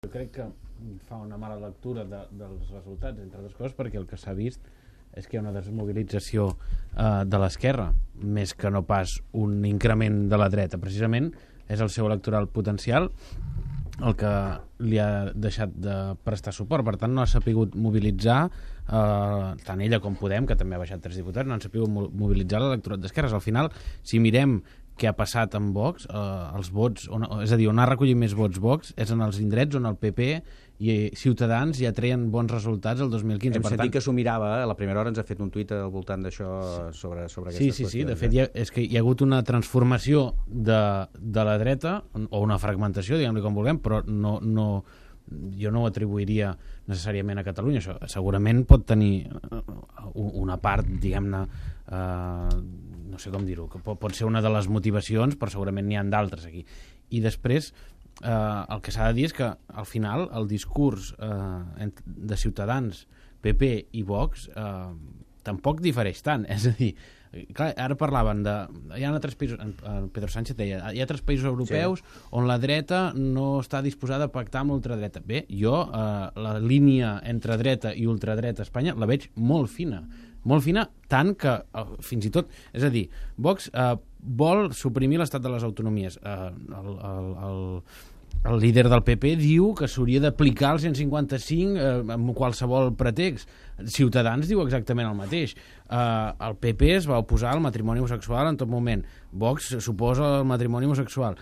Jo crec que fa una mala lectura dels resultats, entre altres coses, perquè el que s'ha vist és que hi ha una desmobilització de l'esquerra, més que no pas un increment de la dreta. Precisament és el seu electoral potencial el que li ha deixat de prestar suport. Per tant, no ha sapigut mobilitzar, tant ella com Podem, que també ha baixat 3 diputats, no han sapigut mobilitzar l'electorat d'esquerres. Al final, si mirem què ha passat amb Vox, els vots, és a dir, on ha recollit més vots Vox és en els indrets on el PP i Ciutadans ja treien bons resultats el 2015. Hem sentit que s'ho mirava, a la primera hora ens ha fet un tuit al voltant d'això sobre aquestes qüestions. Sí, de fet és que hi ha hagut una transformació de la dreta, o una fragmentació, diguem-li com vulguem, però jo no ho atribuiria necessàriament a Catalunya. Això segurament pot tenir una part, diguem-ne, no sé com dir-ho, que pot ser una de les motivacions, però segurament n'hi ha d'altres aquí. I després el que s'ha de dir és que al final el discurs de Ciutadans, PP i Vox tampoc difereix tant. És a dir, clar, ara parlaven de... Hi ha 3 països... Pedro Sánchez deia, hi ha 3 països europeus on la dreta no està disposada a pactar amb l'ultradreta. Bé, jo la línia entre dreta i ultradreta a Espanya la veig molt fina, tant que fins i tot, és a dir, Vox vol suprimir l'estat de les autonomies. El líder del PP diu que s'hauria d'aplicar el 155 amb qualsevol pretext. Ciutadans diu exactament el mateix. El PP es va oposar al matrimoni homosexual en tot moment. Vox s'oposa al matrimoni homosexual.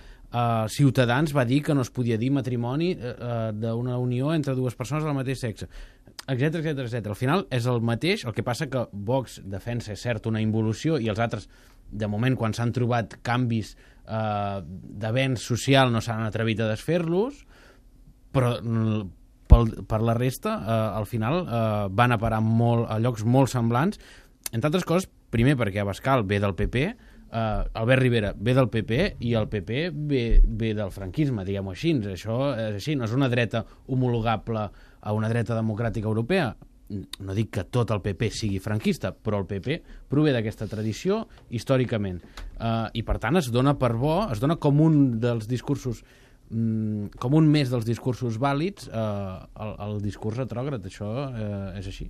Ciutadans va dir que no es podia dir matrimoni d'una unió entre 2 persones del mateix sexe, etcètera. Al final és el mateix, el que passa que Vox defensa, és cert, una involució, i els altres, de moment, quan s'han trobat canvis d'avenç social, no s'han atrevit a desfer-los, però per la resta, al final, van a parar a llocs molt semblants, entre altres coses, primer perquè Abascal ve del PP, Albert Rivera ve del PP i el PP ve del franquisme, diguem-ho així. Això és així, no és una dreta homologable a una dreta democràtica europea. No dic que tot el PP sigui franquista, però el PP prové d'aquesta tradició històricament, i per tant es dona per bo, es dona com un dels discursos, com un més dels discursos vàlids, el discurs retrògrad. Això és així.